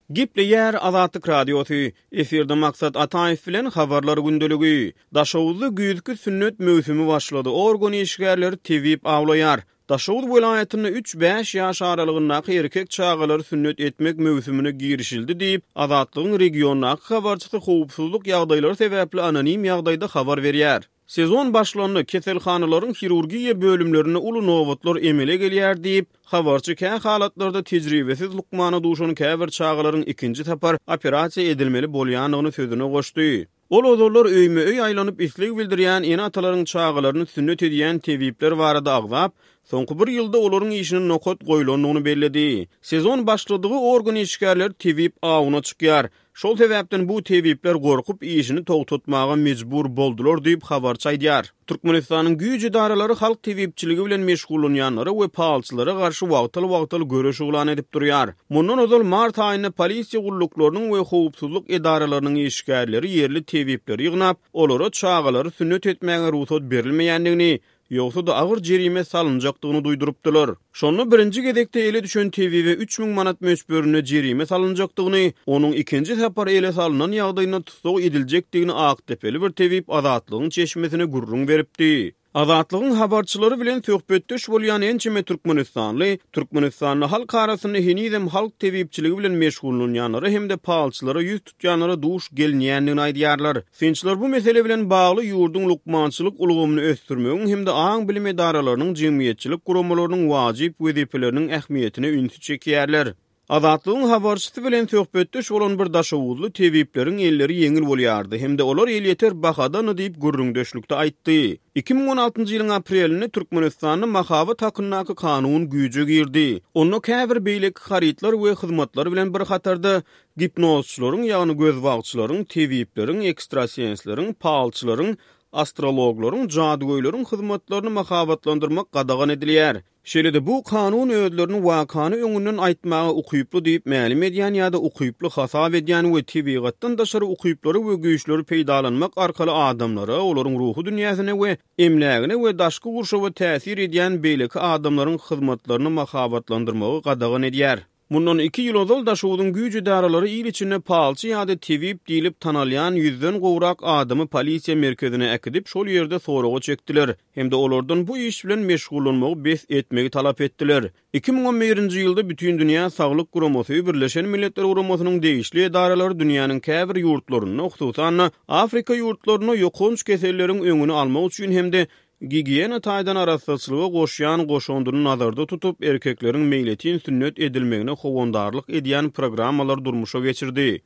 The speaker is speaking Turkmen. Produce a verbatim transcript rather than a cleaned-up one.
Gepleýär Azatlyk Radiosy, efirde Maksat Ataýew bilen Habarlar gündeligi. Daşoguzda güýzki sünnet möwsümi başlady, organ işgärleri tebip awlaýar. Daşoguz welaýatynda üç-bäş ýaş aralygyndaky erkek çagalary sünnet etmek möwsümine girişildi diýip, Azatlygyň regiondaky habarçysy howpsuzlyk ýagdaýlary sebäpli anonim ýagdaýda habar berýär. Sezon başlandy, keselhanalaryň hirurgiýa bölümlerinde uly nobatlar emele gelýär diýip, habarçy kä halatlarda tejribesiz lukmana duşan käbir çagalaryň ikinji sapar operasiýa edilmeli bolýandygyny sözüne goşdy. Ol ozallar öýme-öý aýlanyp isleg bildirýän ene-atalaryň çagalaryny sünnet edýän tebipler barada agzap, soňky bir ýylda olaryň işine nokat goýlandygyny belledi. Sezon başladygy organ işgärleri tebip awuna çykýar. Şol sebäpden bu tebipler gorkup işini togtatmaga mejbur boldular diýip, habarçy aýdýar. Türkmenistanyň güýç edaralary halk tebipçiligi bilen meşgullanýanlara we palçylara garşy wagtal-wagtal göreş yglan edip durýar. Mundan ozal mart aýynda polisiýa gulluklarynyň we howpsuzlyk edaralarynyň işgärleri ýerli tebipleri ýygnap, olara çagalary sünnet etmäge rugsat berilmeýändigini, ýogsa-da agyr jerime salynjakdygyny duýdurypdylar. Şonda birinji gezekde ele düşen tebibe üç müň manat möçberinde jerime salynjakdygyny, onuň ikinji sapar ele salnan ýagdaýynda tussag ediljekdigini akdepeli bir tebip Azatlygyň çeşmesine gürrüň beripdi. Azatlygyň habarçylary bilen söhbetdeş bolýan ençeme türkmenistanly Türkmenistanda halk arasynda henizem halk tebipçiligi bilen meşgullanýanlara hem-de palçylara ýüz tutýanlara duş gelinýändigini aýdýarlar. Synçylar bu mesele bilen bagly ýurduň lukmançylyk ulgamyny ösdürmegiň hem-de aň-bilim edaralarynyň, jemgyýetçilik guramalarynyň wajyp wezipeleriniň ähmiýetine ünsi çekýärler. Azatlygyň habarçysy bilen söhbetdeş bolan bir daşoguzly tebipleriň elleri ýeňil bolýardy hem-de olar elýeter bahadan diýip gürrüňdeşlikde aýtdy. Iki müň on altynjy ýylyň aprelinde Türkmenistanda mahabat hakyndaky kanun güýje girdi. Onda käbir beýleki harytlar we hyzmatlar bilen bir hatarda gipnozçylaryň, ýagny gözbagçylaryň, tebipleriň, ekstrasensleriň, palçylaryň, astrologlaryň, jadygöýleriň hyzmatlaryny mahabatlandyrmak gadagan edilýär. Şeýle-de bu kanun özlerini wakany öňünden aýtmaga ukyply diýip mälim edýän ýa-da ukyply hasap edýän we tebigatdan daşary ukyplary we güýçleri peýdalanmak arkaly adamlara, olaryň ruhy dünýäsine we emlägine we daşky gurşawa täsir edýän beýleki adamlaryň hyzmatlaryny mahabatlandyrmagy gadagan edýär. Mundan iki ýyl ozal Daşogzuň güýç edaralary il içinde palçy ýa-da tebip diýlip tanalýan ýüzden gowrak adamy polisiýa merkezine äkidip, şol ýerde soraga çekdiler hem-de olardan bu iş bilen meşgullanmagy bes etmegi talap etdiler. Iki müň on birinji ýylda Bütindünýä Saglyk Guramasy, Birleşen Milletler Guramasynyň degişli edaralary dünýäniň käbir ýurtlarynda, hususan-da Afrika ýurtlarynda ýokanç keselleriň öňüni almak üçin hem-de gigiýena taýdan arassaçylyga goşýan goşandyny nazarda tutup, erkekleriň meýletin sünnet edilmegine howandarlyk edýän programmalar durmuşa geçirdi.